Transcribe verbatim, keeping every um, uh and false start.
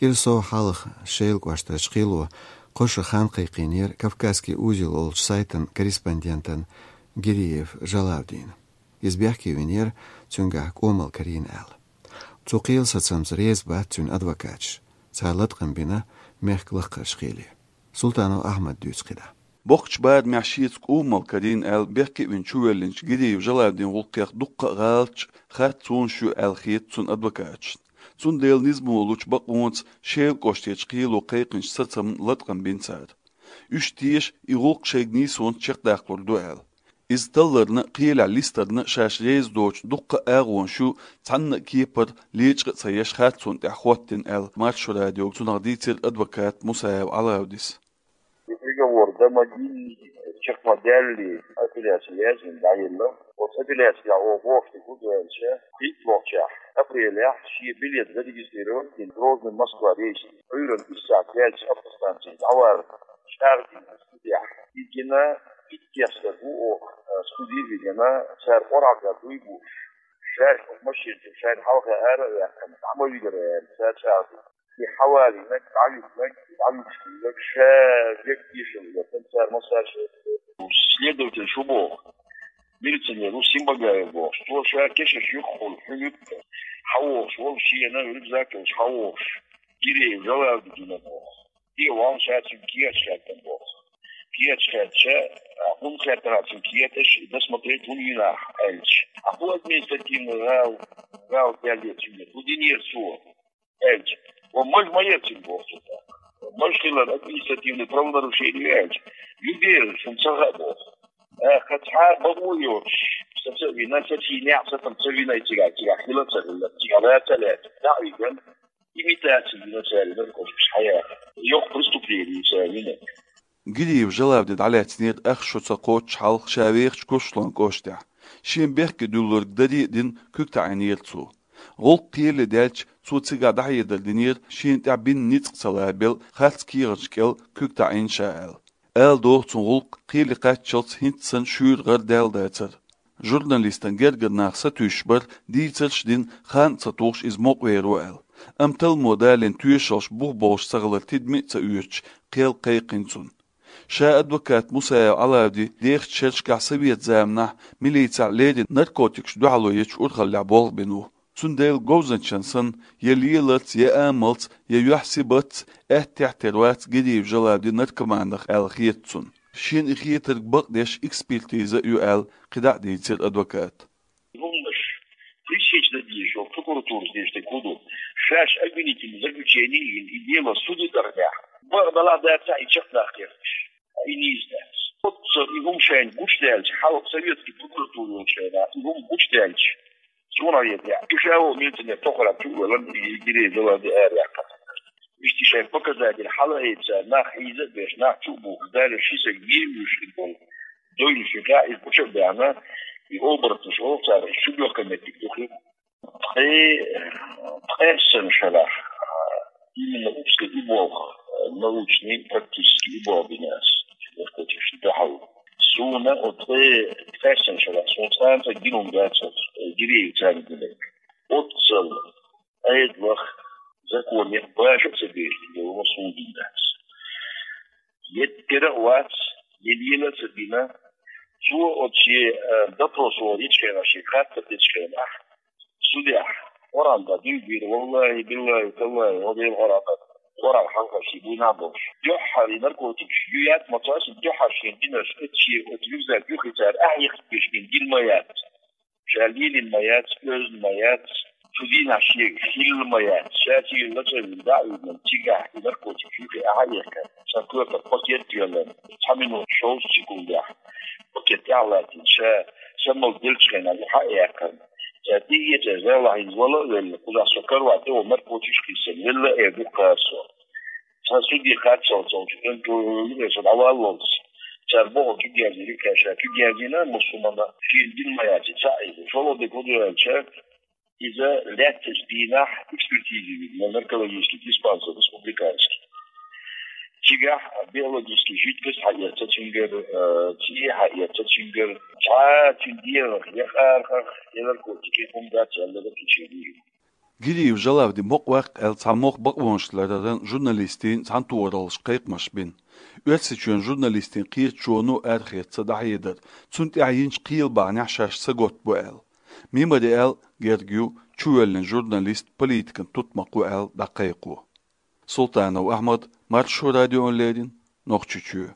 Кӏира сов хьалха Шелан кӏоштарчу кхело кхо шо хан кхайкхийнера «Кавказский узел» олучу сайтан корреспондентана Гириев Жалавдина. Иза бехке винера, цуьнгахь кӏомал карийна аьлла. Цу кхелан сацамца реза бац цуьнан адвокаташ. Цара латкъам бина мехкан лакхарчу кхеле. Султанов Ахьмада дуьйцу кхидӀа. Боккхачу барамехь шеца кӀумал карийна аьлла, бехке а вина чувоьллинчу Гириев Жалавдин гӀуллакхех дуккха а гӀалаташ, харцонаш ю аьлла хета цуьнан адвокаташна. Цундела низамо лучу бакъонца Шелан кӀоштарчу кхело кхайкхинчу сацамна латкъам бина цара. Уьш теша и гӀуллакх шайга нийсонца чекхдаккхалур ду аьлла. Иза талларна а, кхелехь листарна а шаьш реза доцу дуккха а агӀонаш ю, цхьанна а кепара лечкъа а ца еш, харцонна тӀехь хӀоттийна аьлла, Маршо радиога цунах дийцира адвокат Мусаев Ӏалавдис. И приговор домогильный, чекхмадаьллий, апелляция яздина дӀаелла. Оцу апелляциях оха бохуш дерг хӀун ду аьлча, кхийтталгӀачохь апрелехь шен билет зарегистрировать дина Грозный — Москва рейс. Ӏуьйранна исс сахьт даьлча автостанцехь дӀаварна чӀагӀдина студехь. И гина иттех стаг ву оха, а, студе вигина, цара къорахьа дуй бууш. Шаьш оха машина чу шайна хьалха ара а ваьккхина, дӀа ма вигара аьлла, цара чӀагӀдина. И хьавалийнарг, дӀавигнарг, дӀавуьгуш хилларг ша век тешалла хӀоьттина, цара массарша. Следователь шу боху, милиционер ву Симбагаев бохуш, цо ша кешнаш юххехула хьуьнуьйту, хьавогӀуш волу шена рюкзак йолуш хьавогӀуш, Гиреев Жалавди гина боху. Де валла ша цуьнга кехаташ хаьттина боху. Кехаташ хаьттича, а, хӀунда хаьттина ахь цуьнга кехаташ, досмотреть хӀунда йина ахь аьлча. А хӀун административный гӀал-, гӀалат даьлла цуьнга? ХӀун динера цо? Аьлча, ва маж ма яцина боху цо тӀаккха. Маж хилар административный правонарушение ю аьлча, ю дера, шуна ца хаьа боху. ТӀаккха цхьа а бакъо а йоцуш, саца а вина, сацийна а, сацам ца вина, и цигахь, цигахь хила а ца хилла, цигахь лаца а лаьцна, дӀа а вигна, имитация вина цара, наркотикаш хьаяха. Йоккха преступление ю цара вина. Гириев Жалавди дӀалаьцнера ах шо ца кхоччуш хьалха ша вехачу Курсалойн кӀоштехь. Шен бехке дуьллург даре а дина, куьг таӀийнера цо. ГӀуллакх кхеле даьлча, цо цигахь дӀахьедар динера, шена тӀехь бина ницкъ ца лабелла, харц кехаташ кӀел куьг таӀийна ша аьлла. Ала догӀу цуьнан гӀуллакх кхеле кхаччалц хӀинца санна шуьйра гӀардаьлла дацара. Журналистан гергара нах сатуьйсуш бара, дийцарш а дина, хан а ца тухуш иза мукъавер ву аьлла. Амма талламо далийна тоьшаллаш бух болуш ца хилар тидаме а ца оьцуш, кхел кхайкхина цунна. Ша адвокат Мусаев Ӏалавди дехачу шерашкахь совет заманахь милицехь леррина наркотикашна дуьхьало ечу урхаллехь болх бина ву. Цундела говзанчан санна, я леларца, я амалца, я юьхь-сибатца аьттехьа тера вац Гириев Жалавди наркоманах аьлла хета цунна. Шена и хетарг бакъдеш экспертиза а ю аьлла, кхидӀа а дийцира адвоката. ХӀуманаш пресечь дан дезаш йолу прокуратурас дезаш дерг хӀун ду? Шаьш обвинительное заключение йина, и дело суде дахнехь, бакъ далахь а, дацахь а, и чекхдаккха кхеташ. И нийса дац. Оццул и хӀума шайна гучудаьлча, хьалха советский прокуратура йолчу хенахь, и хӀума гучудаьлча, цунах еза яхь. И ша волу милиционер тохара чу а валан, и Гиреев Жалавди ара яьккхина. Иштта шайн показатель хьалаайца, нах хьийза а беш, нах чу а бухуш, Дала ши саг вен вуьйш хир болу. Дойла ши гӀа иза гуча а баьхна, и оборотнаш олу цара, и шуьга йохка меттиг ду хир. Ткъе, ткъессана шарахь, именно узкий и болх, научный, практический и болх бина ас, наркотикашна дуьхьал. Суна оцу ткъе, ткъессана шарахь, суна цкъа а гина хӀума дацара, Гиреев царна гинарг. Оццул Ӏедалах, законех баша а ца безаш долу суна гина дац. Я тера а вац, я лела а ца бина. Цо оцу шен, э, допрос вахийтачу хенахь, шен хаттар дечу хенахь, судехь, Къуръан тӀе дуй бийра, валлахӀи, биллахӀи, таллахӀи, ва Делан Къуръан тӀе, Къуръан хьалхашка буйна а болуш. Дуьххьара и наркотикаш ю яц ма цо, дуьххьара шен гинарш, эцчи оцу рюкзак юххе цара ахьа яхийтина гина ма яц. Ша лелийна ма яц, оьзна ма яц, цу дийнахь шега хилла ма яц, ша цигара лачкъийна дӀа а вигна, цигахь и наркотик юххе ахьа а яхкина, сан коьртах пакет а йоьллина, цхьа минута шовзткъа секундехь пакет тӀехь а латтийна, ша самал деллачу хенахь юха а яьккхина. Ша тӀе а эцна, зала хьийза вала а велла, кхузахь со каравай тӀе ван наркотикаш а кхиссина, велла а эр ду кхара со. Цхьа суде кхаччалц волчу, кӀант чу юкъе со дӀаваллалц, цара бохург чу герзийра кхаьчна, чу герзийна, муссумана шена дина ма яц и цхьаъ иза. ШолгӀа дерг хӀун ду аьлча, иза лаьттачу дийнахь экспертизе вигна наркологический диспансер республиканский. Цигахь биологический жидкость хьаэцна цуьнгара, э, цӀе хьаэцна цуьнгара, цхьа а цуьнан дегӀах я къаркъах, я наркотикех хӀума дац аьлла, заключение вигна. Гириев Жалавди мукъа ваккха аьлла, цхьа мохк бакъонаш лараран журналистийн цхьаьнатохараллаш кхайкхамаш бина. Оьрсийчоьнан журналистийн кхеташоно арахеца дӀахьедар, цунна тӀехь йинчу кхелан бахьанехь шаьш сагатбо аьлла. Мемориал герга ю чувоьллина журналист политикан тутмакхо аьлла дӀакхайкхо. Султанов Ахьмад, Маршо радиона леррина, Нохчийчоь.